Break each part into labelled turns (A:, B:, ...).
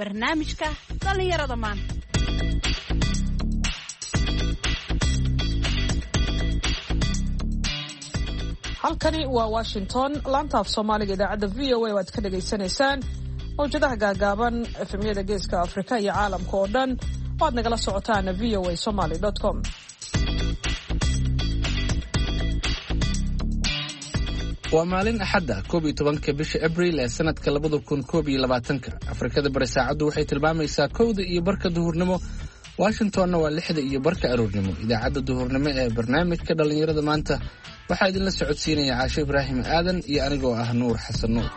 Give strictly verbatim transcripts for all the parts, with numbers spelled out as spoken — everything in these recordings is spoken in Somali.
A: Barnaamijka dhallinyarada maanta.
B: Halkani waa Washington, laanta af Soomaaliga idaacadda V O A oo aad ka dhagaysanaysaan mawjadaha gaagaaban, F M-yada Geeska Afrika iyo caalamka oo dhan oo aad nagala socotaan V O A somaly com.
C: Waa maalin Axadda, koob iyo tobanka bisha Abriil ee sanadka labada kun koob iyo labaatanka. Afrikada Bari saacaddu waxay tilmaamaysaa kowda iyo barka duhurnimo, Washingtonna waa lixda iyo barka aroornimo. Idaacadda duhurnimo ee barnaamijka dhallinyarada maanta waxaa idinla socodsiinaya Caasho Ibraahim Aadan iyo anigoo ah Nuur Xasan Nuur.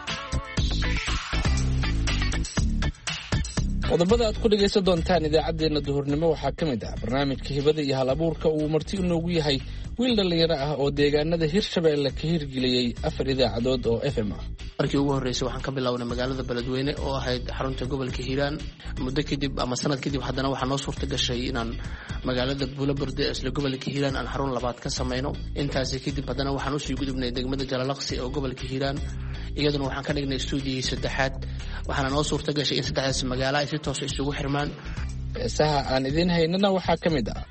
C: Qodobada aad ku dhegaysan doontaan idaacaddeenna duhurnimo waxaa ka mid ah barnaamijka hibada iyo hal abuurka, uu marti inoogu yahay wiil dhallinyaro ah oo deegaanada Hirshabeelle ka hirgeliyey afar idaacadood oo F M ah.
D: Markii ugu horreysay waxaan ka bilownay magaalada Beledweyne oo ahayd xarunta gobolka Hiiraan. Muddo kadib ama sanad kadib haddana waxaa noo suurta gashay inaan magaalada Buulaburde ee isla gobolka Hiiraan aan xarun labaad ka samayno. Intaasi kadib haddana waxaan usii gudubnay degmada Jalalaqsi oo gobolka Hiiraan, iyaduna waxaan ka dhignay stuudiyihii saddexaad. Waxaana noo suurta gashay in saddexdaas magaalo ay si toosa isugu xirmaan.
C: Heesaha aan idiin haynana waxaa ka mid ah: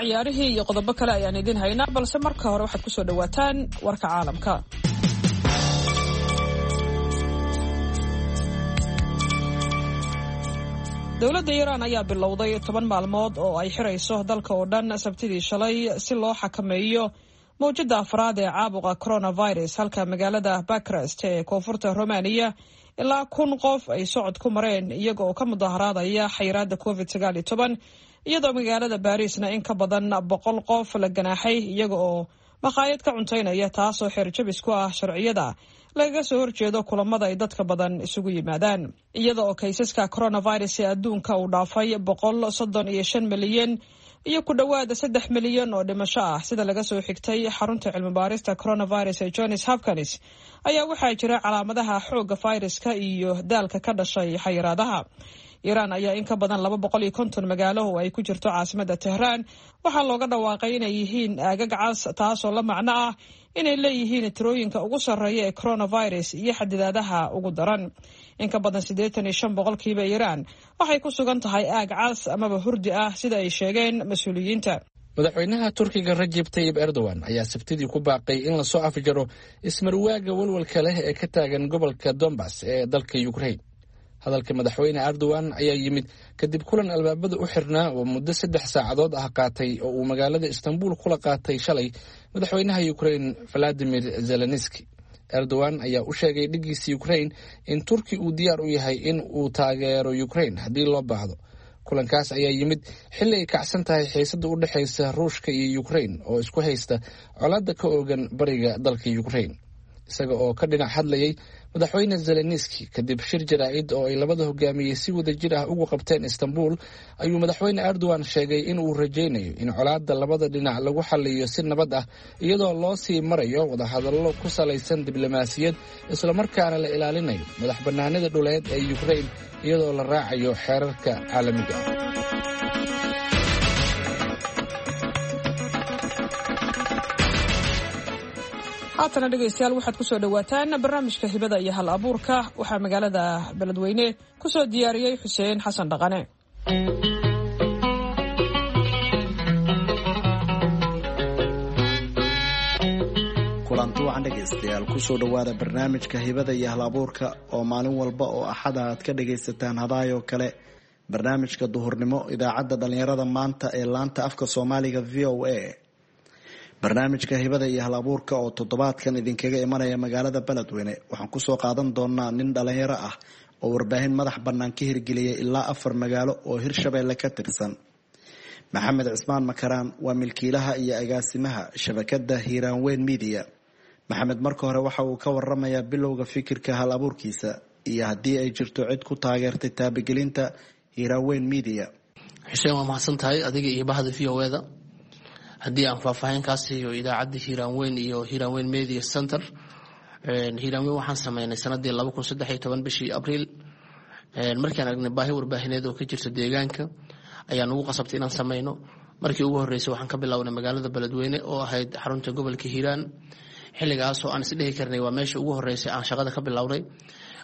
B: Ciyaarihii iyo qodobo kale ayaan idiin haynaa, balse marka hore waxaad kusoo dhawaataan warka caalamka. Dowladda Iiraan ayaa bilowday toban maalmood oo ay xirayso dalka oo dhan Sabtidii shalay si loo xakameeyo mawjadda afraad ee caabuqa coronavirus, halka magaalada Bucharest ee koonfurta Romaniya ilaa kun qof ay socod ku mareen iyaga oo ka mudaharaadaya xayiraadda Covid sagaal iyo toban, iyadoo magaalada Baariisna in ka badan boqol qof la ganaaxay iyaga oo makhaayad ka cuntaynaya, taasoo xeerjabis ku ah sharciyada lagaga soo horjeedo kulamada ay dadka badan isugu yimaadaan. Iyada oo kaysaska coronavirus ee adduunka uu dhaafay boqol soddon iyo shan milyan iyo ku dhowaada saddex milyan oo dhimasho ah, sida laga soo xigtay xarunta cilmibaarista coronavirus ee Johns Hopkins, ayaa waxaa jira calaamadaha xoogga fayraska iyo daalka ka dhashay xayiraadaha. Iiraan ayaa in ka badan laba boqol iyo konton magaalo oo ay ku jirto caasimadda Tehraan waxaa looga dhawaaqay inay yihiin aagag cas, taasoo la macno ah inay leeyihiin tirooyinka ugu sarreeya ee coronavirus iyo xadidaadaha ugu daran. In ka badan siddeetan iyo shan boqolkiiba Iiraan waxay ku sugan tahay aag cas amaba hurdi ah, sida ay sheegeen mas-uuliyiinta.
C: Madaxweynaha Turkiga Rajib Tayib Erdogan ayaa Sabtidii ku baaqay in lasoo afjaro ismarwaaga walwalka leh ee ka taagan gobolka Dombas ee dalka Ukrain. Hadalka madaxweyne Erdogan ayaa yimid kadib kulan albaabada u xirnaa oo muddo saddex saacadood ah qaatay oo uu magaalada Istanbul kula qaatay shalay madaxweynaha Ukrain Valadimir Zelenski. Erdogan ayaa u sheegay dhiggiisa Ukrain in Turki uu diyaar u yahay in uu taageero Ukrain haddii loo baahdo. Kulankaas ayaa yimid xilli ay kacsan tahay xiisadda u dhexaysa Ruushka iyo Ukrain oo isku haysta colaadda ka oogan bariga dalka Ukrain. Isaga oo ka dhinac hadlayay madaxweyne Zelenski kadib shir jaraa'id oo ay labada hogaamiyey si wada jir ah ugu qabteen Istanbul, ayuu madaxweyne Erdogan sheegay in uu rajaynayo in colaadda labada dhinac lagu xaliyo si nabad ah, iyadoo loo sii marayo wadahadallo ku salaysan diblomaasiyad, islamarkaana la ilaalinayo madax bannaanida dhuleed ee Ukrain, iyadoo la raacayo xeerarka caalamiga ah.
B: Haatana dhegaystayaal, waxaad kusoo dhawaataan barnaamijka hibada iyo hal abuurka. Waxaa magaalada Beledweyne kusoo diyaariyey Xuseen Xasan Dhaqane.
E: Kulanti wacan dhegaystayaal, kusoo dhowaada barnaamijka hibada iyo hal abuurka oo maalin walba oo Axada aad ka dhagaysataan hadaayoo kale barnaamijka duhurnimo idaacadda dhallinyarada maanta ee laanta afka Soomaaliga V O A. Barnaamijka hibada iyo hal abuurka oo toddobaadkan idinkaga imanaya magaalada Beledweyne waxaan kusoo qaadan doonaa nin dhalinyaro ah oo warbaahin madax bannaan ka hirgeliyay ilaa afar magaalo oo Hirshabeelle ka tirsan. Maxamed Cismaan Makaraan waa milkiilaha iyo agaasimaha shabakada Hiiraanweyn Media. Maxamed marka hore waxa uu ka waramayaa bilowga fikirka hal abuurkiisa iyo haddii ay jirto cid ku taageertay taabagelinta Hiiraanweyn Media.
D: Xuseen, waa mahadsan tahay adiga iyo bahda V O A-da. Haddii aan faahfaahin kaa siiyo idaacadda Hiiraanweyn iyo Hiiraanweyn Media Center, Hiiraan Weyn waxaan sameynay sanadii laba kun saddex iyo toban bishii Abriil. Markaan aragnay baahi warbaahineed oo ka jirta deegaanka ayaa nagu qasabtay inaan sameyno. Markii ugu horreysay waxaan ka bilownay magaalada Beledweyne oo ahayd xarunta gobolka Hiiraan, xilligaasoo aan isdhehi karnay waa meesha ugu horreysay aan shaqada ka bilownay.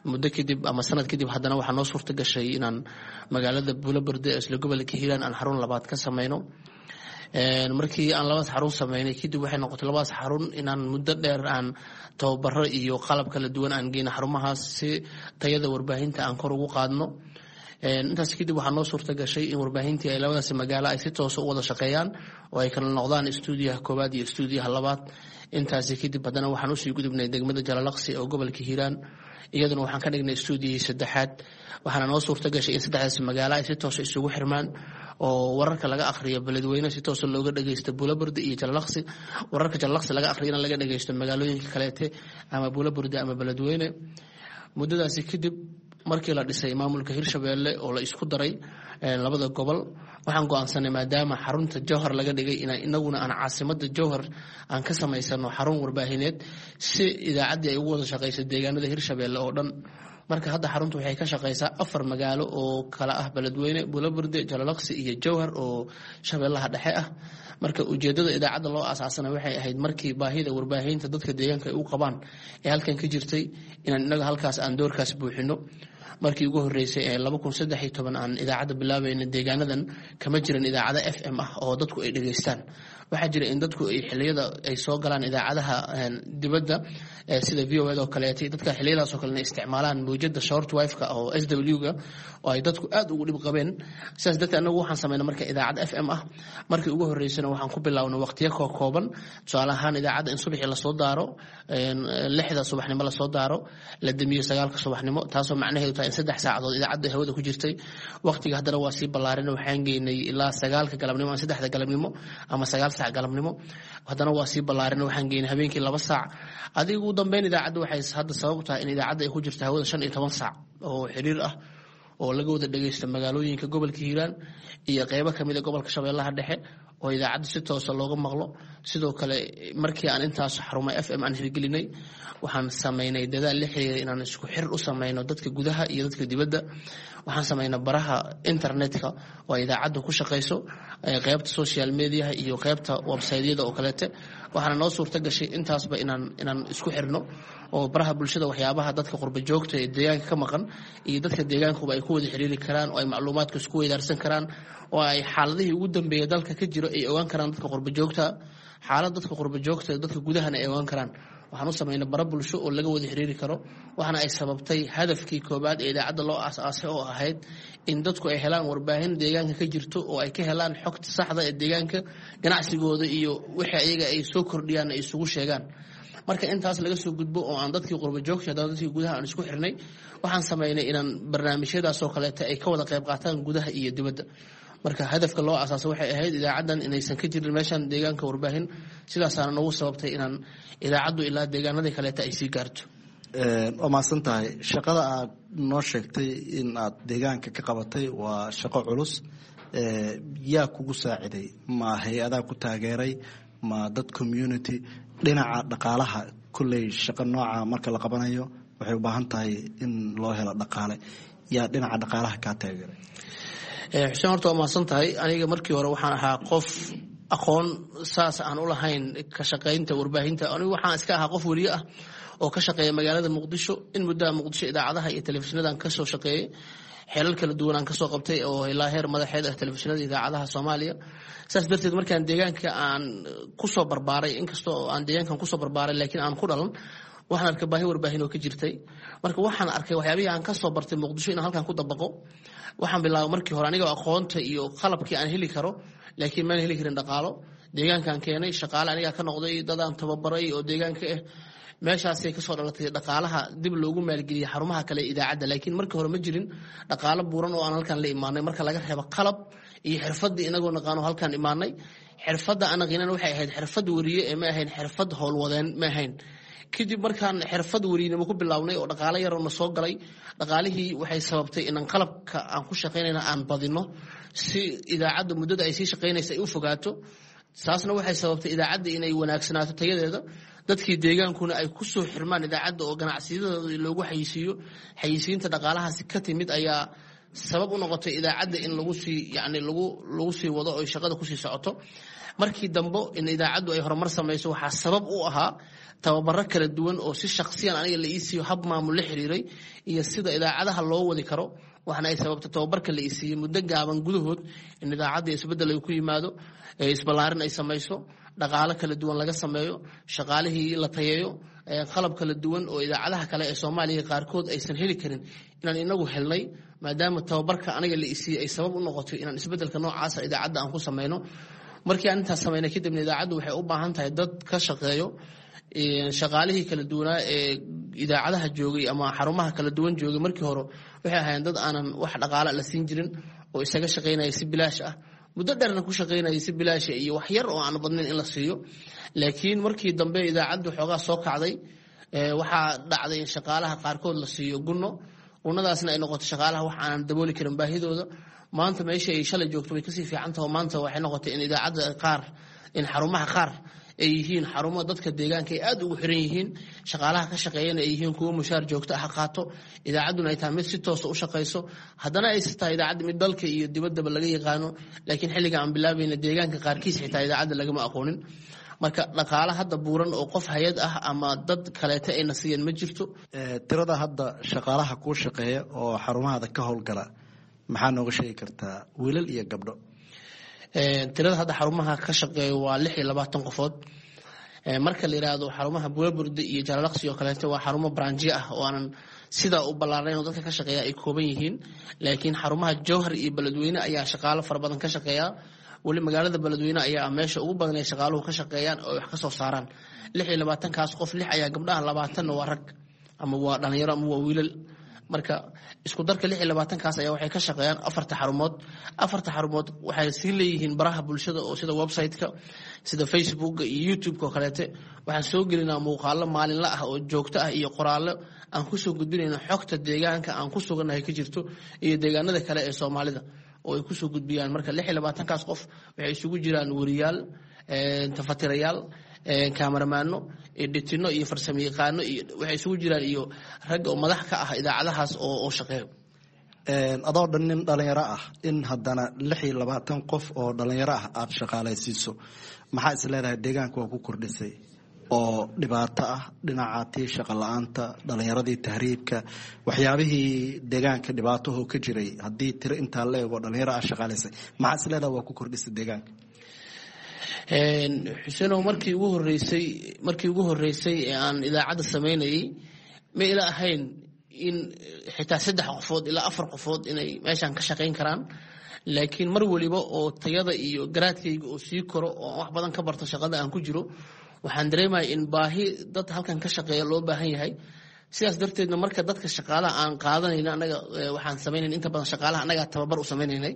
D: Muddo kadib ama sanad kadib haddana waxaa noo suurta gashay inaan magaalada Buulaburde ee isla gobolka Hiiraan aan xarun labaad ka sameyno. Markii aan labadaas xarun sameynay kadib, waxay noqotay labadaas xarun inaan muddo dheer aan tababaro iyo qalab kala duwan aan geyno xarumahaas si tayada warbaahinta aan kor ugu qaadno. Intaas kadib waxaa noo suurta gashay in warbaahintii ay labadaas magaalo ay si toosa u wada shaqeeyaan oo ay kala noqdaan istuudiyaha koowaad iyo istuudiyaha labaad. Intaasi kadib haddana waxaan usii gudubnay degmada Jalalaqsi oo gobolka Hiiraan, iyaduna waxaan ka dhignay istuudiyihii saddexaad. Waxaana noo suurta gashay in saddexdaas magaalo ay si toosa isugu xirmaan oo wararka laga akhriyo Beledweyne si toosa looga dhageysto Buulaburde iyo Jalalaqsi, wararka Jalalaqsi laga akhriyana laga dhageysto magaalooyinka kaleete ama Buulaburde ama Beledweyne. Muddadaasi kadib markii la dhisay maamulka Hirshabeelle oo la isku daray labada gobol, waxaan go-aansanay maadaama xarunta Jowhar laga dhigay in inaguna aan caasimada Jowhar aan ka samaysano xarun warbaahineed si idaacaddii ay ugu wada shaqeyso deegaanada Hirshabeelle oo dhan. Marka hadda xaruntu waxay ka shaqeysaa afar magaalo oo kala ah Beledweyne, Buulaburde, Jalalaqsi iyo Jowhar oo Shabeellaha Dhexe ah. Marka ujeedada idaacadda loo aasaasana waxay ahayd markii baahida warbaahinta dadka deegaanka ay u qabaan ee halkan ka jirtay inaan inaga halkaas aan doorkaas buuxino. Markii ugu horreysay ee laba kun saddex iyo toban aan idaacadda bilaabayna, deegaanadan kama jiran idaacado F M ah oo dadku ay dhegeystaan. Waxaa jira in dadku ay xiliyada ay soo galaan idaacadaha dibadda sida V O A oo kaleetay, dadka xiliyadaas oo kalena isticmaalaan mawjada short wave-ka oo S W-ga oo ay dadku aad ugu dhib qabeen. Sidaas darteed anagu waxaan sameynay marka idaacad F M ah. Markii ugu horreysana waxaan ku bilownay waqtiyo koo kooban, tusaale ahaan idaacadda in subaxii lasoo daaro, lixda subaxnimo lasoo daaro, la damiyo sagaalka subaxnimo, taasoo macnaheedu tahay in saddex saacadood idaacadda hawada ku jirtay. Waqtiga haddana waa sii ballaarin, waxaan geynay ilaa sagaalka galabnimo ama saddexda galabnimo ama sagaal saac galabnimo. Haddana waa sii ballaarin, waxaan geynay habeenkii laba saac. Adiga ugu dambeyn idaacadda waxay hadda sabab tahay in idaacadda ay ku jirto hawada shan iyo toban saac oo xiriir ah oo laga wada dhageysto magaalooyinka gobolka Hiiraan iyo qeybo kamid a gobolka Shabeellaha Dhexe oo idaacadda si toosa looga maqlo. Sidoo kale markii aan intaas xaruma F M aan hirgelinay, waxaan sameynay dadaal la xiriira inaan isku xir u sameyno dadka gudaha iyo dadka dibadda. Waxaan sameynay baraha internetka oo idaacaddu ku shaqeyso, qeybta social mediaha iyo qeybta websiteyada oo kaleete. Waxaana noo suurta gashay intaasba inaan inaan isku xirno oo baraha bulshada waxyaabaha dadka qurba joogta ee deegaanka ka maqan iyo dadka deegaankuba ay ku wada xiriiri karaan oo ay macluumaadka isku weydaarsan karaan oo ay xaaladihii ugu dambeeya dalka ka jiro ay ogaan karaan dadka qurba joogta, xaalad dadka qurba joogta dadka gudahana ay ogaan karaan. Waxaan u sameynay bara bulsho oo laga wada xiriiri karo. Waxaana ay sababtay hadafkii koobaad ee idaacadda loo aas-aasay oo ahayd in dadku ay helaan warbaahin deegaanka ka jirto oo ay ka helaan xogta saxda ee deegaanka, ganacsigooda iyo wixii ayaga ay soo kordhiyaan ay isugu sheegaan. Marka intaas laga soo gudbo oo aan dadkii qurba joogta haddana dadkii gudaha aan isku xirnay, waxaan sameynay inaan barnaamijyadaas oo kaleeta ay ka wada qayb qaataan gudaha iyo dibadda. Marka hadafka loo asaasay waxay ahayd idaacaddan inaysan ka jirin meeshan deegaanka warbaahin, sidaasaana nagu sababtay inaan idaacaddu ilaa deegaanadii kaleeta ay sii gaarto.
E: Waa mahadsan tahay. Shaqada aad noo sheegtay in aad deegaanka ka qabatay waa shaqo culus. Yaa kugu saaciday? Ma hay-adaa ku taageeray, ma dad community? Dhinaca dhaqaalaha, kolley shaqo nooca marka la qabanayo waxay u baahan tahay in loo helo dhaqaale. Yaa dhinaca dhaqaalaha kaa taageeray?
D: Xuseen, horta waa mahadsan tahay. Aniga markii hore waxaan ahaa qof aqoon saas aan u lahayn ka shaqaynta warbaahinta. Anigu waxaan iska ahaa qof weliye ah oo ka shaqeeya magaalada Muqdisho. In muddaha Muqdisho idaacadaha iyo telefishinadaan kasoo shaqeeyey, xeelal kala duwan aan kasoo qabtay oo ilaa heer madaxeed ah telefishinada idaacadaha Soomaaliya. Saas darteed markaan deegaanka aan kusoo barbaaray, inkastoo aan deegaankan kusoo barbaaray laakiin aan ku dhalan, waxaan arkay baahi warbaahin oo ka jirtay. Marka waxaan arkay waxyaabihii aan kasoo bartay Muqdisho inaan halkan ku dabaqo. Waxaan bilaabay markii hore anigoo aqoonta iyo qalabkii aan heli karo, laakiin maan heli karin dhaqaalo. Deegaankaan keenay shaqaale anigaa ka noqday, dadaan tababaray oo deegaanka ah. Meeshaasay kasoo dhalatay dhaqaalaha dib loogu maalgeliyey xarumaha kale idaacadda, laakiin markii hore ma jirin dhaqaalo buuran oo aan halkan la imaanay marka laga reebo qalab iyo xirfadii inagoo naqaano halkaan imaanay. Xirfadda aan naqiinan waxay ahayd xirfad weriye ee ma ahayn xirfad howlwadeen, ma ahayn. Kadib markaan xirfad werinimo ku bilownay oo dhaqaalo yaroo na soo galay, dhaqaalihii waxay sababtay inaan qalabka aan ku shaqaynayna aan badino si idaacadda muddada ay sii shaqaynaysa ay u fogaato. Taasna waxay sababtay idaacadda inay wanaagsanaato tayadeeda. Dadkii deegaankuna ay ku soo xirmaan idaacadda oo ganacsiyadooda loogu xayisiiyo. Xayisiinta dhaqaalahaasi ka timid ayaa sabab u noqotay idaacadda in lagu sii yani lagu lagu sii wado oo shaqada kusii socoto. Markii dambe in idaacaddu ay horumar samayso waxaa sabab u ahaa tababaro kala duwan oo si shaksiyan aniga la ii siiyo, hab maamul la xiriiray iyo sida idaacadaha loo wadi karo. Waxaana ay sababta tababarka la ii siiyey muddo gaaban gudahood in idaacadda isbeddel ay ku yimaado, isballaarin ay samayso, dhaqaalo kala duwan laga sameeyo, shaqaalihii la tayeeyo, qalab kala duwan oo idaacadaha kale ee Soomaaliya qaarkood aysan heli karin inaan inagu helnay, maadaama tababarka aniga la isiiyey ay sabab u noqotay inaan isbeddelka noocaasa idaacadda aan ku sameyno. Markii aan intaas samaynay kadibna, idaacaddu waxay u baahan tahay dad ka shaqeeyo. Shaqaalihii kala duwanaa ee idaacadaha joogay ama xarumaha kala duwan joogay markii hore waxay ahaayeen dad aanan wax dhaqaala la siin jirin oo isaga shaqaynaya si bilaash ah, muddo dheerna ku shaqaynaya si bilaasha iyo wax yar oo aan badnayn in la siiyo. Laakiin markii dambe idaacaddu xoogaa soo kacday, waxaa dhacday in shaqaalaha qaarkood la siiyo gunno. Gunnadaasna ay noqoto shaqaalaha wax aanan dabooli karin baahidooda. Maanta meesha ay shalay joogto way kasii fiican taho. Maanta waxay noqotay in idaacadda qaar, in xarumaha qaar ay yihiin xarumo dadka deegaanka ay aad ugu xiran yihiin, shaqaalaha ka shaqeeyana ay yihiin kuwo mushaar joogto ah qaato, idaacadduna ay tahay mid si toosa u shaqayso, haddana ay tahay idaacadda mid dalka iyo dibaddaba laga yaqaano. Laakiin xilliga aan bilaabayna deegaanka qaarkiis xitaa idaacadda lagama aqoonin. Marka dhaqaale hadda buuran oo qof hay-ad ah ama dad kaleeta ayna siiyeen ma jirto.
E: Tirada hadda shaqaalaha kuu shaqeeya oo xarumahada ka howlgala maxaa nooga sheegi kartaa, wiilal iyo gabdho?
D: Tirada hadda xarumaha ka shaqeeya waa lix iyo labaatan qofood. Marka la yiraahdo xarumaha Buulaburde iyo Jalalaqsi oo kaleeto, waa xarumo branjiyo ah oo aanan sidaa u ballaarnayn oo dadka ka shaqeeya ay kooban yihiin. Laakiin xarumaha Jowhar iyo Beledweyne ayaa shaqaalo fara badan ka shaqeeya. Weli magaalada Beledweyne ayaa meesha ugu badan ay shaqaaluhu ka shaqeeyaan oo ay wax ka soo saaraan. Lix iyo labaatankaas qof, lix ayaa gabdhaha, labaatanna waa rag ama waa dhalinyaro ama waa wiilal. Marka isku darka lix iyo labaatankaas ayaa waxay ka shaqeeyaan afarta xarumood. Afarta xarumood waxay sii leeyihiin baraha bulshada oo sida website-ka, sida Facebooka iyo YouTube-ka oo kaleete. Waxaan soo gelinaa muuqaalo maalinla ah oo joogto ah iyo qoraallo aan kusoo gudbinayno xogta deegaanka aan ku sugannahay ka jirto iyo deegaanada kale ee Soomaalida oo ay kusoo gudbiyaan. Marka lix iyo labaatankaas qof waxay isugu jiraan weriyaal, tafatirayaal, kaamaramaano, editino iyo farsamo yaqaano, iyo waxay isugu jiraan iyo rag oo madax ka ah idaacadahaas oo oo shaqeeyo.
E: Adoo dhan nin dhalinyaro ah, in haddana lix iyo labaatan qof oo dhalinyaro ah aada shaqaalaysiiso, maxaa is leedahay deegaanka waa ku kordhisay oo dhibaato ah dhinaca tii shaqa la-aanta, dhalinyaradii tahriibka, waxyaabihii deegaanka dhibaataho ka jiray? Haddii tiro intaa la eego dhalinyaro ah shaqaalaysay, maxaa is leedahay waa ku kordhisay deegaanka?
D: Xuseenow, markii ugu horeysay markii ugu horeysay ee aan idaacadda samaynayay ma ila ahayn in xitaa saddex qofood ilaa afar qofood inay meeshan ka shaqayn karaan. Laakiin mar waliba oo tayada iyo garaadkayga oo sii koro oo aan wax badan ka barto shaqada aan ku jiro, waxaan dareemaya in baahi dad halkan ka shaqeeya loo baahan yahay. Sidaas darteedna marka dadka shaqaalaha aan qaadanayna, anaga waxaan samaynayn inta badan shaqaalaha annagaa tababar u samaynaynay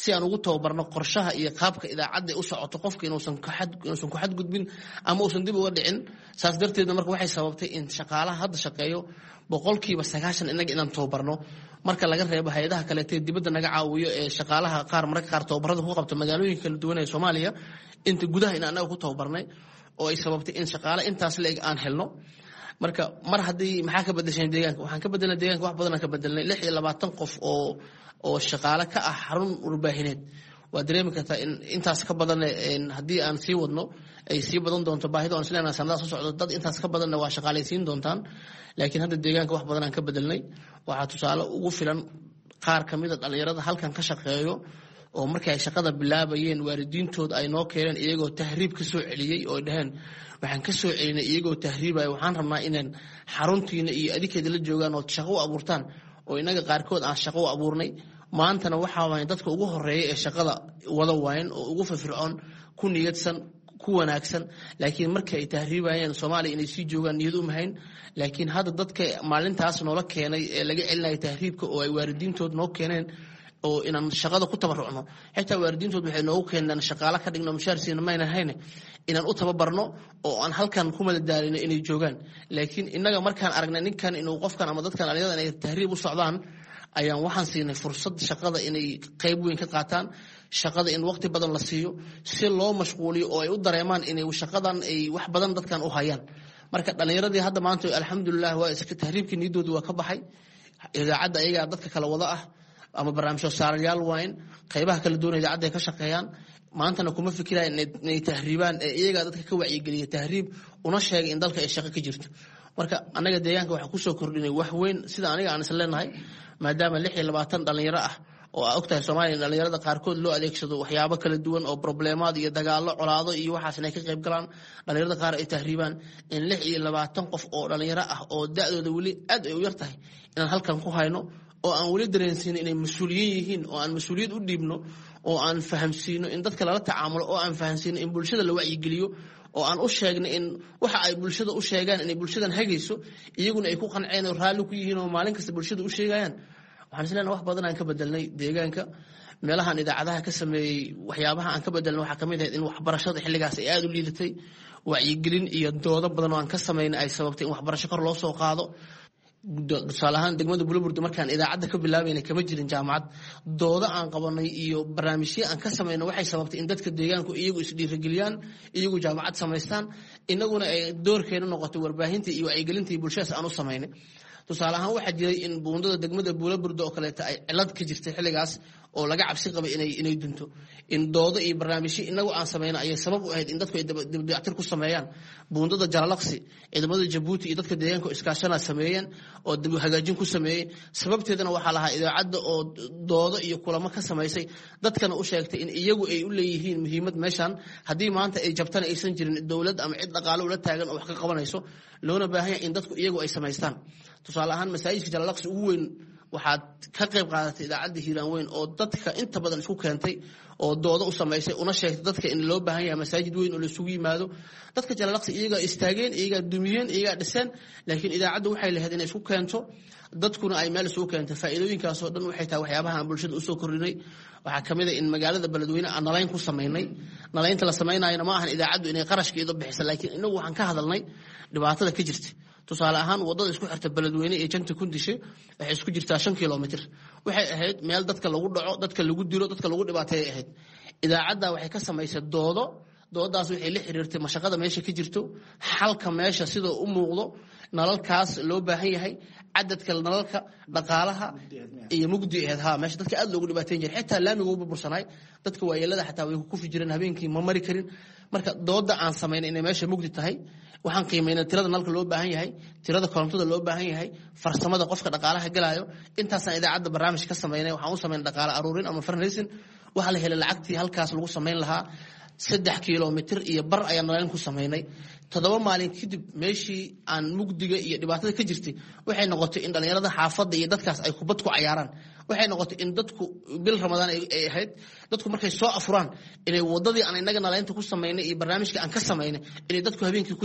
D: si aan ugu tababarno qorshaha iyo qaabka idaacadda u socoto, qofka inuusan inuusan ku xadgudbin ama uusan dib uga dhicin. Saas darteedna marka waxay sababtay in shaqaalaha hadda shaqeeyo boqolkiiba sagaashan innaga inaan tababarno, marka laga reebo hay-adaha kaleete dibadda naga caawiyo ee shaqaalaha qaar mararka qaar tababarada ku qabta magaalooyinka kala duwan ee Soomaaliya. Inta gudaha in annaga ku tababarnay oo ay sababtay in shaqaale intaas la-eg aan helno. Marka mar haddii maxaa ka bedesheen deegaanka? Waxaan ka bedelnay deeganka wax badan aan ka bedelnay. Lix iyo labaatan qof oo oo shaqaale ka ah xarun warbaahineed waa dareemi kartaa in intaas ka badan haddii aan sii wadno ay sii badan doonto baahida on isleenahay sanadaha soo socdo dad intaas ka badanna waa shaqaalaysiin doontaan. Laakiin hadda deegaanka wax badan aan ka bedelnay. Waxaa tusaale ugu filan qaar ka mida dhalinyarada halkan ka shaqeeyo oo markii ay shaqada bilaabayeen waalidiintood ay noo keeneen iyagoo tahriib ka soo celiyey oo dhaheen, waxaan ka soo celinay iyagoo tahriibaya, waxaan rabnaa inaan xaruntiina iyo adikeeda la joogaan oo shaqo u abuurtaan, oo inaga qaarkood aan shaqo u abuurnay. Maantana waxaa waaya dadka ugu horeeya ee shaqada wada waayan oo ugu firfircoon, ku niyadsan, ku wanaagsan. Laakiin markii ay tahriibayeen Soomaaliya inay sii joogaan niyad uma hayn. Laakiin hadda dadka maalintaas noola keenay ee laga celinaya tahriibka oo ay waalidiintood noo keeneen oo inaan shaqada ku tabarucno, xitaa waalidiintood waxay noogu keeneen shaqaale ka dhigno, mushaar siina mayna hayne, inaan u tababarno oo aan halkan ku madadaalino inay joogaan. Laakiin innaga markaan aragnay ninkan inuu qofkan ama dadkan dhalinyarada inay tahriib u socdaan, ayaan waxaan siinay fursad shaqada inay qayb weyn ka qaataan, shaqada in waqti badan la siiyo si loo mashquuliyo oo ay u dareemaan inay shaqadan ay wax badan dadkan u hayaan. Marka dhalinyaradii hadda maanta alxamdulilah waa iska tahriibkii niyadoodii waa ka baxay. Idaacadda ayagaa dadka kala wada ah ama barnaamijyo saarayaal waayn, qaybaha kala duwan idaacadda ay ka shaqeeyaan. Maantana kuma fikirayaan inay tahriibaan, ee iyagaa dadka ka wacyigeliya tahriib una sheegay in dalka ay shaqo ka jirto. Marka annaga deegaanka waxaa kusoo kordhinay wax weyn sida aniga aan is leenahay, maadaama lix iyo labaatan dhalinyaro ah oo aa ogtahay Soomaaliya in dhalinyarada qaarkood loo adeegsado waxyaabo kala duwan oo probleemaad iyo dagaallo, colaado iyo waxaas inay ka qayb galaan, dhalinyarada qaar ay tahriibaan, in lix iyo labaatan qof oo dhalinyaro ah oo da-dooda weli aad ay u yar tahay inaan halkan ku hayno oo aan weli dareensiino inay mas-uuliyiin yihiin, oo aan mas-uuliyad u dhiibno, oo aan fahamsiino in dadka lala tacaamulo, oo aan fahamsiino in bulshada la wacyigeliyo, oo aan u sheegno in waxa ay bulshada u sheegaan inay bulshadan hagayso, iyaguna ay ku qanceen oo raalli ku yihiin oo maalin kasta bulshada u sheegayaan. Waxaan is leenahay wax badan aan ka bedelnay deegaanka. Meelahan idaacadaha ka sameeyey waxyaabaha aan ka bedelnay waxaa kamid ahayd in waxbarashada xilligaas ay aada u liidatay, wacyigelin iyo doodo badan oo aan ka sameynay ay sababtay in waxbarasho kor loo soo qaado. Tusaale ahaan degmada Buloburdi markaan idaacadda ka bilaabayna kama jirin jaamacad. Doodo aan qabanay iyo barnaamijyo aan ka sameynay waxay sababtay in dadka deegaanku iyagu isdhiirigeliyaan, iyagu jaamacad samaystaan, inaguna ay doorkeena noqotay warbaahinta iyo wacyigelinta iyo bulshadaas aan u samaynay. Tusaale ahaan waxaa jiray in buundada degmada Buulaburda oo kaleeta ay cilad ka jirtay xilligaas oo laga cabsi qabay inay inay dunto, in doodo iyo barnaamijyo inagu aan sameyno ayay sabab u ahayd in dadku ay dibdayactir ku sameeyaan buundada Jalalaqsi. Ciidamada Jabuuti iyo dadka deegaanka iskaashanaa sameeyeen oo dib hagaajin ku sameeyey. Sababteedana waxaa lahaa idaacadda oo doodo iyo kulamo ka samaysay, dadkana u sheegtay in iyagu ay u leeyihiin muhiimad meeshan, haddii maanta ay jabtana aysan jirin dowlad ama cid dhaqaale ula taagan oo wax ka qabanayso, loona baahan yahay in dadku iyagu ay samaystaan. Tusaale ahaan masaajidka Jalalaqsi ugu weyn waxaad ka qayb qaadatay idaacadda Hiiraan Weyn oo dadka inta badan isku keentay oo doodo u samaysay una sheegtay dadka in loo baahan yahay masaajid weyn oo la isugu yimaado. Dadka Jalalaqsi iyagaa istaageen, iyagaa dumiyeen, iyagaa dhiseen, laakiin idaacaddu waxay lahayd inay isku keento dadkuna ay meel isugu keento. Faa'iidooyinkaasoo dhan waxay tahay waxyaabaha aan bulshada usoo kordhinay. Waxaa kamid a in magaalada Beledweyne aan nalayn ku samaynay. Nalaynta la samaynayona ma ahan idaacaddu inay qarashkeedu bixisa, laakiin inagu waxaan ka hadalnay dhibaatada ka jirta. Tusaale ahaan wadada isku xirta Beledweyne iyo Janta Kundishe waxay isku jirtaa shan kilomitr. Waxay ahayd meel dadka lagu dhaco, dadka lagu dilo, dadka lagu dhibaateeyay ahayd. Idaacadda waxay ka samaysay doodo. Doodaas waxay la xiriirtay mashaqada meesha ka jirto, xalka meesha sidoo u muuqdo, nalalkaas loo baahan yahay, cadadka nalalka, dhaqaalaha iyo mugdi ahayd. Ha, meesha dadka aad loogu dhibaateyn jiray, xitaa laamiga u burbursanaay, dadka waayeelada xataa way ku kufi jireen habeenkii, ma mari karin. Marka dooda aan samaynay inay meesha mugdi tahay, waxaan qiimeynay tirada nalka loo baahan yahay, tirada korontada loo baahan yahay, farsamada qofka dhaqaalaha galaayo. Intaasaan idaacadda barnaamij ka samaynay. Waxaan u samaynay dhaqaale aruurin ama fundraising. Waxaa la helay lacagtii halkaas lagu samayn lahaa. Saddex kilomitr iyo bar ayaan nalayn ku samaynay. Toddoba maalin kadib meeshii aan mugdiga iyo dhibaatada ka jirtay waxay noqotay in dhalinyarada xaafadda iyo dadkaas ay kubad ku cayaaraan. Waxay noqotay in dadku bil Ramadaan ay ahayd, dadku markay soo afuraan inay wadadii aan inaga nalaynta ku samaynay iyo barnaamijka aan ka samaynay inay dadku habeenkii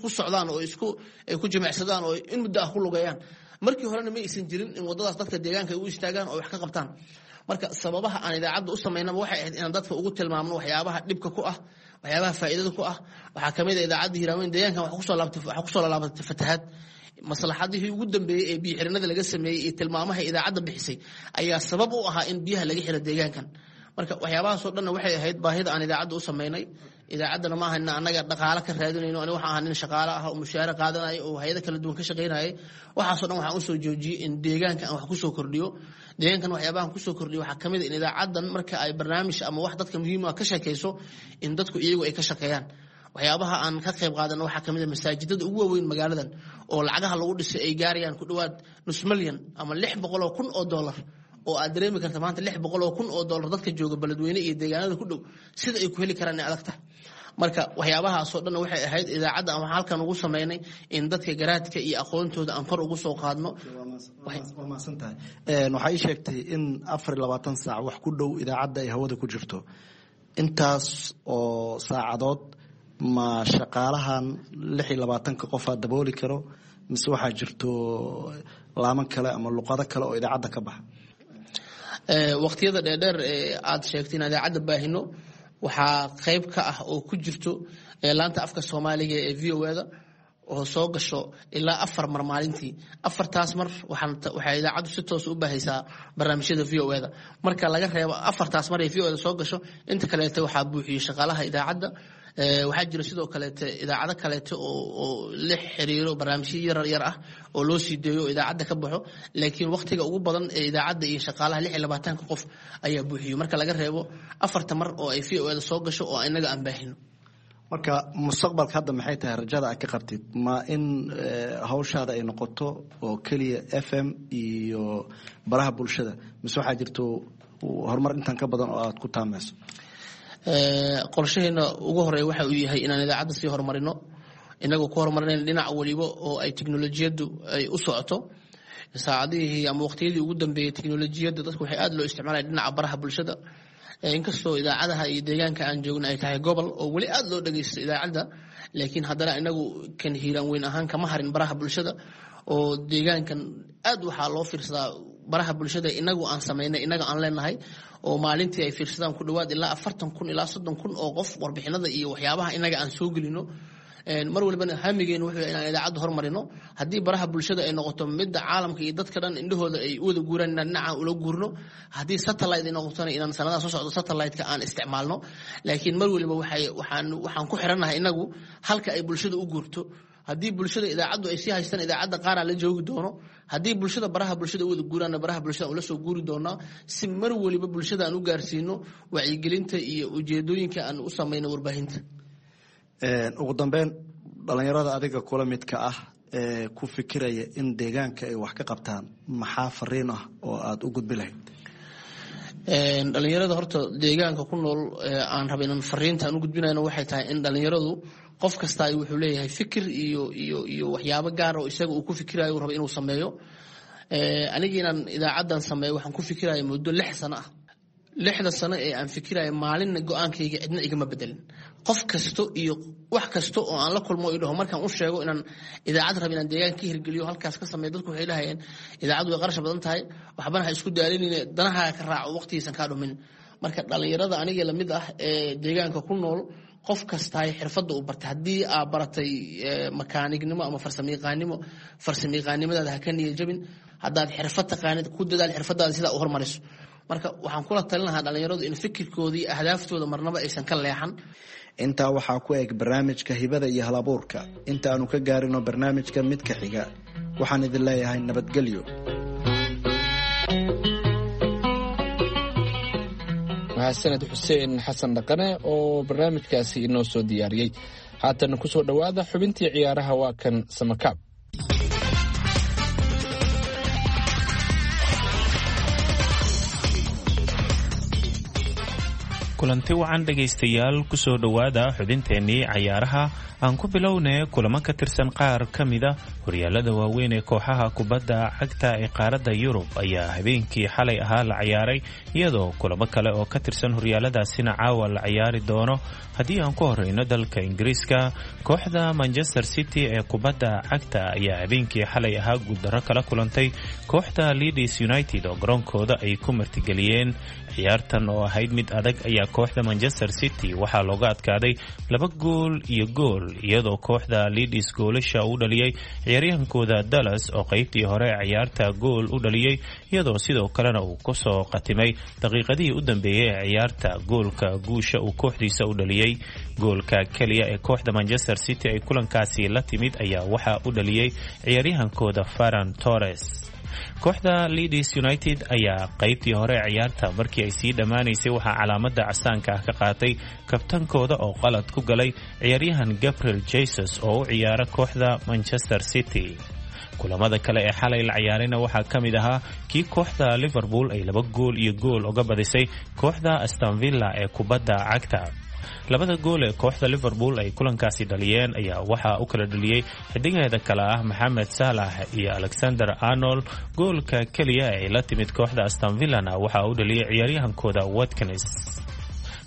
D: ku socdaan oo isku ay ku jimicsadaan oo in muddo ah ku lugeeyaan. Markii horena ma aysan jirin in wadadaas dadka deegaanka ay u istaagaan oo wax ka qabtaan. Marka sababaha aan idaacadda u samaynaba waxay ahayd inaan dadka ugu tilmaamno waxyaabaha dhibka ku ah, waxyaabaha faa'iidada ku ah. Waxaa kamid a idaacadda Hiiraaweyn deegaankan waxaa kusoo laabtay waxaa kusoo laalaabatay fatahaad. Maslaxadihii ugu dambeeyey ee biyo xirinada laga sameeyey iyo tilmaamaha idaacadda bixisay ayaa sabab u ahaa in biyaha laga xiro deegaankan. Marka waxyaabahaasoo dhanna waxay ahayd baahida aan idaacadda u samaynay. Idaacaddana ma aha annaga dhaqaale ka raadinayno. Aniga waxaan ahaa nin shaqaale ah oo mushaare qaadanaya oo hayado kala duwan ka shaqaynayay. Waxaasoo dhan waxaan usoo joojiyey in deegaanka aan wax kusoo kordhiyo. Deegaankan waxyaabahan kusoo kordhiyo waxaa kamid a in idaacaddan marka ay barnaamij ama wax dadka muhiim ah ka sheekayso in dadku iyagu ay ka shaqeeyaan. Waxyaabaha aan ka qayb qaadano waxaa kamid a masaajidada ugu waaweyn magaaladan oo lacagaha lagu dhisay ay gaarayaan ku dhowaad nus milyan ama lix boqol oo kun oo dollar, oo aad dareemi karta maanta lix boqol oo kun oo dollar dadka jooga Beledweyne iyo deegaanada ku dhow sida ay ku heli karaan inay adag tahay. Marka waxyaabahaasoo dhan waxay ahayd idaacadda aan waxaan halkan ugu samaynay in dadka garaadka iyo aqoontooda aan kor ugu soo qaadno.
E: Waa mahadsan tahay. Waxaa ii sheegtay in afar iyo labaatan saac wax ku dhow idaacadda ay hawada ku jirto. Intaas oo saacadood ma shaqaalahan lix iyo labaatanka qofaa dabooli karo, mise waxaa jirto laaman kale ama luqado kale oo idaacadda ka baxa?
D: Waqtiyada dheerdheer ee aada sheegtay in idaacadda baahino waxaa qayb ka ah oo ku jirto laanta afka Soomaaliga ee V O A-da oo soo gasho ilaa afar mar maalintii. Afartaas mar waxay idaacaddu si toos u baahaysaa barnaamijyada V O A-da. Marka laga reebo afartaas mar ee V O A-da soo gasho, inta kaleeta waxaa buuxiyey shaqaalaha idaacadda. Waxaa jira sidoo kaleete idaacado kaleete oo la xiriiro barnaamijyo yar yar ah oo loo sii deeyo oo idaacadda ka baxo, laakiin waqtiga ugu badan ee idaacadda iyo shaqaalaha lix iyo labaatanka qof ayaa buuxiyo, marka laga reebo afarta mar oo ay V O A da soo gasho oo inaga aan baahino.
E: Marka mustaqbalka hadda maxay tahay rajada aad ka qabtid? Ma in hawshaada ay noqoto oo keliya F M iyo baraha bulshada, mise waxaa jirto horumar intan ka badan oo aad ku taamayso?
D: Qorshaheena ugu horeeya waxa uu yahay inaan idaacadda sii horumarino, inagoo ku horumarinayna dhinac waliba oo ay teknolojiyaddu ay u socoto. Saacadihii ama waqtiyadii ugu dambeeyey teknolojiyadda dadku waxay aad loo isticmaalaya dhinaca baraha bulshada, inkastoo idaacadaha iyo deegaanka aan joogna ay tahay gobol oo weli aad loo dhageysto idaacadda, laakiin haddana inagu kan Hiiraan weyn ahaan kama harin baraha bulshada, oo deegaankan aad waxaa loo fiirsadaa baraha bulshada inagu aan samaynay, inaga aan leenahay, oo maalintii ay fiirsadaan ku dhawaad ilaa afartan kun ilaa soddon kun oo qof warbixinada iyo waxyaabaha inaga aan soo gelino. Mar walibana hamigeenu wuxuu inaan idaacadda hormarino. Haddii baraha bulshada ay noqoto midda caalamka iyo dadka dhan indhahooda ay u wada guuraan, inaan dhinacaan ula guurno. Haddii satellite ay noqotona, inaan sanadaha soo socdo satellite-ka aan isticmaalno. Laakiin mar waliba waxay waxaan waxaan ku xirannahay inagu halka ay bulshada u guurto. Haddii bulshada idaacaddu ay sii haystaan, idaacadda qaaraa la joogi doono. Haddii bulshada baraha bulshada u wada guuraanna, baraha bulshada ula soo guuri doonaa, si mar waliba bulshada aan u gaarsiino wacyigelinta iyo ujeedooyinka aan u samayno warbaahinta.
E: Ugu dambeyn, dhalinyarada adiga kula midka ah ee ku fikiraya in deegaanka ay wax ka qabtaan, maxaa fariin ah oo aada u gudbi lahayd?
D: Dhalinyarada horta deegaanka ku nool aan raba inaan fariinta aan u gudbinayno waxay tahay in dhalinyaradu qof kastaa wuxuu leeyahay fikir iyo iyo iyo waxyaabo gaar oo isaga uu ku fikirayo uu rabo inuu sameeyo. Anigi inaan idaacaddan sameeyo waxaan ku fikiraya muddo lix sano ah. Lixda sano ee aan fikiraya maalinna go-aankayga cidna igama bedelin. Qof kasto iyo wax kasta oo aan la kulmo i dhaho markaan u sheego inaan idaacad rabo inaan deegaanka ka hirgeliyo halkaas ka sameeyo, dadku waxay dhahayeen idaacaddu way qarash badan tahay, waxbana ha isku daalinine, danahaaga ka raaco, waqtigiisan kaa dhumin. Marka dhalinyarada aniga lamid ah ee deegaanka ku nool, qof kastaay xirfadda uu bartay, haddii aa baratay makaanignimo ama farsamayaqaanimo, farsamayaqaanimadaada ha ka niya jabin. Haddaad xirfad taqaanid, ku dadaal xirfadaada sidaa u hormariso. Marka waxaan kula talin lahaa dhalinyaradu in fikirkooda iyo ahdaaftoda marnaba aysan ka leexan.
E: Intaa waxaa ku eg barnaamijka hibada iyo halabuurka. Inta aanu ka gaarino barnaamijka midka xiga, waxaan idin leeyahay nabadgelyo.
C: Mahadsaned Xuseen Xasan Dhaqane oo barnaamijkaasi inoo soo diyaariyey. Haatan kusoo dhowaada xubintii ciyaaraha, waa kan Samakaab.
F: Kulanti wacan dhegaystayaal, kusoo dhowaada xubinteennii cayaaraha. Aan ku bilownay kulamo ka tirsan qaar ka mida horyaalada waaweyn ee kooxaha kubadda cagta ee qaaradda Yurub ayaa habeenkii xalay ahaa la ciyaaray, iyadoo kulamo kale oo ka tirsan horyaaladaasina caawa la ciyaari doono. Haddii aan ku horeyno dalka Ingiriiska, kooxda Manchester City ee kubadda cagta ayaa habeenkii xalay ahaa guuldarro kala kulantay kooxda Leeds United oo garoonkooda ay ku martigeliyeen. Ciyaartan oo ahayd mid adag ayaa kooxda Manchester City waxaa looga adkaaday laba gool iyo gool, iyadoo kooxda Leeds goolasha u dhaliyay ciyaaryahankooda Dallas oo qaybtii hore ciyaarta gool u dhaliyay, iyadoo sidoo kalena uu kusoo qatimay daqiiqadihii u dambeeyay ee ciyaarta goolka guusha uu kooxdiisa u dhaliyay. Goolka keliya ee kooxda Manchester City ay kulankaasi la timid ayaa waxaa u dhaliyay ciyaaryahankooda Ferran Torres. Kooxda Leeds United ayaa qaybtii hore ciyaarta markii ay sii dhammaanaysay waxaa calaamada casaanka ah ka qaatay kabtankooda oo qalad ku galay ciyaaryahan Gabriel Jesus oo u ciyaara kooxda Manchester City. Kulamada kale ee xalay la ciyaarayna waxaa ka mid ahaa kii kooxda Liverpool ay laba gool iyo gool uga badisay kooxda Aston Villa ee kubadda cagta. Labada gool ee kooxda Liverpool ay kulankaasi dhaliyeen ayaa waxaa u kala dhaliyey xidigeeda kale ah Maxamed Salah iyo Alexander Arnold. Goolka keliya ee ay la timid kooxda Aston Villana waxaa u dhaliyey ciyaaryahankooda Watkins.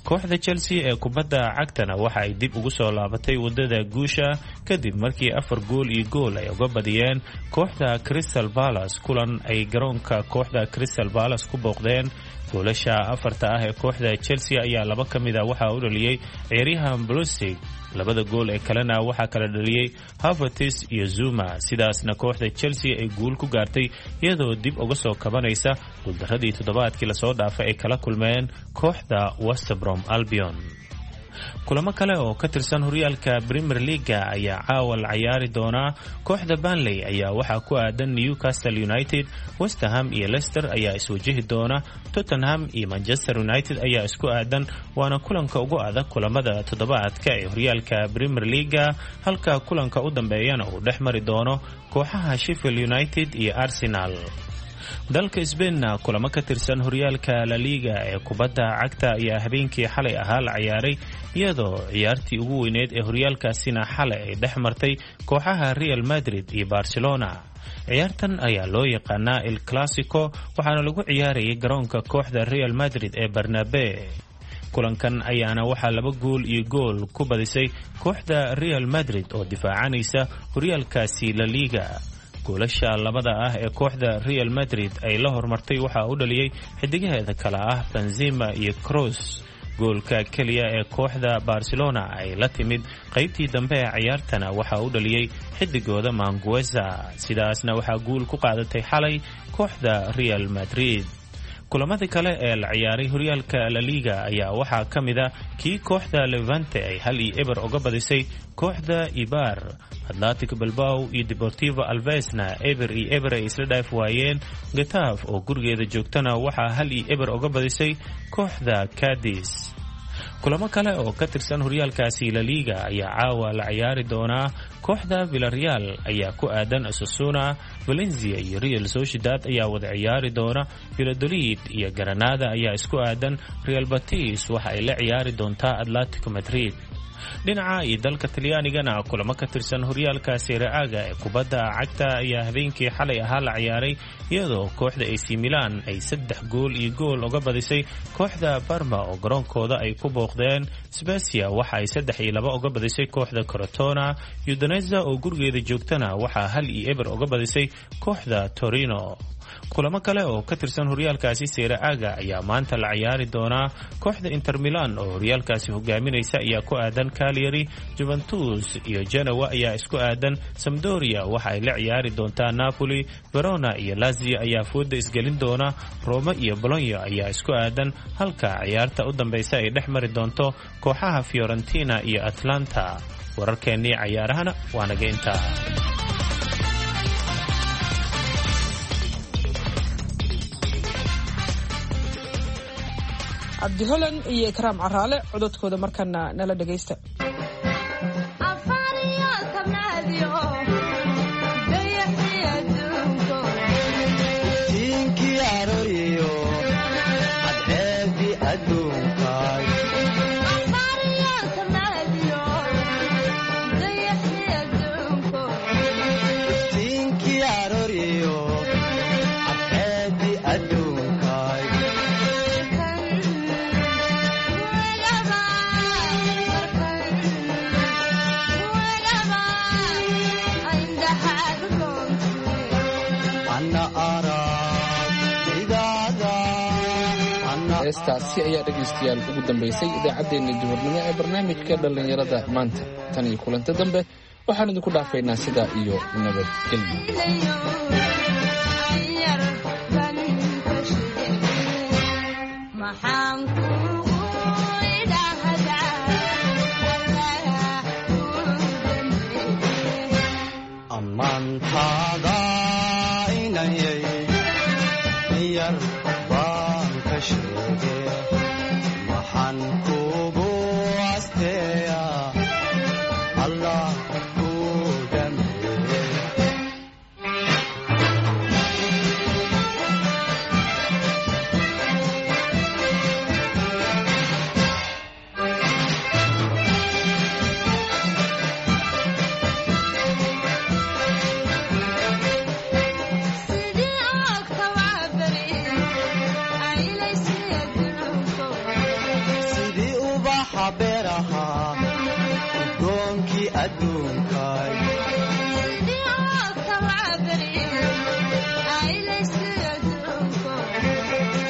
F: Kooxda Chelsea ee kubadda cagtana waxa ay dib ugu soo laabatay wadada guusha kadib markii afar gool iyo gool ay uga badiyeen kooxda Crystal Palace kulan ay garoonka kooxda Crystal Palace ku booqdeen. Goolasha afarta ah ee kooxda Chelsea ayaa laba ka mid a waxaa u dhaliyey ciyaaryahan Pulisic, labada gool ee kalena waxaa kala dhaliyey Havertz iyo Zuma. Sidaasna kooxda Chelsea ay guul ku gaartay iyadoo dib uga soo kabanaysa guuldaradii toddobaadkii lasoo dhaafay ay kala kulmeen kooxda West Brom Albion. Kulamo kale oo ka tirsan horyaalka Premier League ayaa caawa la ciyaari doonaa. Kooxda Burnley ayaa waxaa ku aadan Newcastle United, West Ham iyo Leicester ayaa iswajihi doona, Tottenham iyo Manchester United ayaa isku aadan, waana kulanka ugu adag kulamada toddobaadka ee horyaalka Premier League, halka kulanka u dambeeyana uu dhex mari doono kooxaha Sheffield United iyo Arsenal. Dalka Sbainna kulamo ka tirsan horyaalka La Liga ee kubadda cagta ayaa habeenkii xalay ahaa la ciyaaray, iyadoo ciyaartii ugu weyneed ee horyaalkaasina xalay ay dhex martay kooxaha Real Madrid iyo Barcelona. Ciyaartan ayaa loo yaqaanaa El Clasico, waxaana lagu ciyaarayay garoonka kooxda Real Madrid ee Barnabe. Kulankan ayaana waxaa laba gool iyo gool ku badisay kooxda Real Madrid oo difaacanaysa horyaalkaasi La Liga. Goolasha labada ah ee kooxda Real Madrid ay la hormartay waxaa u dhaliyey xidigaheeda kale ah Benzema iyo Kroos. Goolka keliya ee kooxda Barcelona ay la timid qaybtii dambe ee ciyaartana waxaa u dhaliyey xidigooda Mangueza. Sidaasna waxaa guul ku qaadatay xalay kooxda Real Madrid. Kulamadii kale ee la ciyaaray horyaalka La Liga ayaa waxaa ka mid a kii kooxda Levante ay hal iyo eber uga badisay kooxda Ibar. Atlantic Bilbao iyo Deportivo Alvesna eber iyo eber ay isla dhaaf waayeen. Getafe oo gurigeeda joogtana waxaa hal iyo eber uga badisay kooxda Cadiz. Kulamo kale oo ka tirsan horyaalkaasi La Liga ayaa caawa la ciyaari doonaa. Kooxda Villarreal ayaa ku aadan Osasuna, Valencia iyo Real Sociedad ayaa wada ciyaari doona, Valladolid iyo Granada ayaa isku aadan, Real Betis waxa ay la ciyaari doontaa Atletico Madrid. Dhinaca iyo dalka Talyaanigana kulamo ka tirsan horyaalka Serie A-ga ee kubadda cagta ayaa habeenkii xalay ahaa la ciyaaray, iyadoo kooxda A C Milan ay saddex gool iyo gool uga badisay kooxda Parma oo garoonkooda ay ku booqdeen. Spezia waxa ay saddex iyo laba uga badisay kooxda Crotone. Udinese oo gurigeeda joogtana waxaa hal iyo eber uga badisay kooxda Torino. Kulamo kale oo ka tirsan horyaalkaasi Serie A-ga ayaa maanta la ciyaari doonaa. Kooxda Inter Milan oo horyaalkaasi hogaaminaysa ayaa ku aadan Cagliari, Juventus iyo Genoa ayaa isku aadan, Sampdoria waxa ay la ciyaari doontaa Napoli, Verona iyo Lazio ayaa fooda isgelin doona, Roma iyo Bologna ayaa isku aadan, halka ciyaarta u dambaysa ay dhex mari doonto kooxaha Fiorentina iyo Atlanta. Wararkeennii cayaarahana waa naga intaa.
B: Cabdi Holan iyo Ikraam Caraale cododkooda markana nala dhagaysta.
C: Heestaasi ayaa dhegaystayaal ugu dambaysay idaacaddeenna duhurnimo ee barnaamijka dhallinyarada maanta. Tan iyo kulanta dambe waxaan idinku dhaafaynaa sidaa iyo nabadgelyo.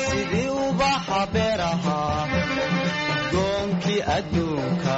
G: Sidii ubaxa beeraha goonkii adduunka.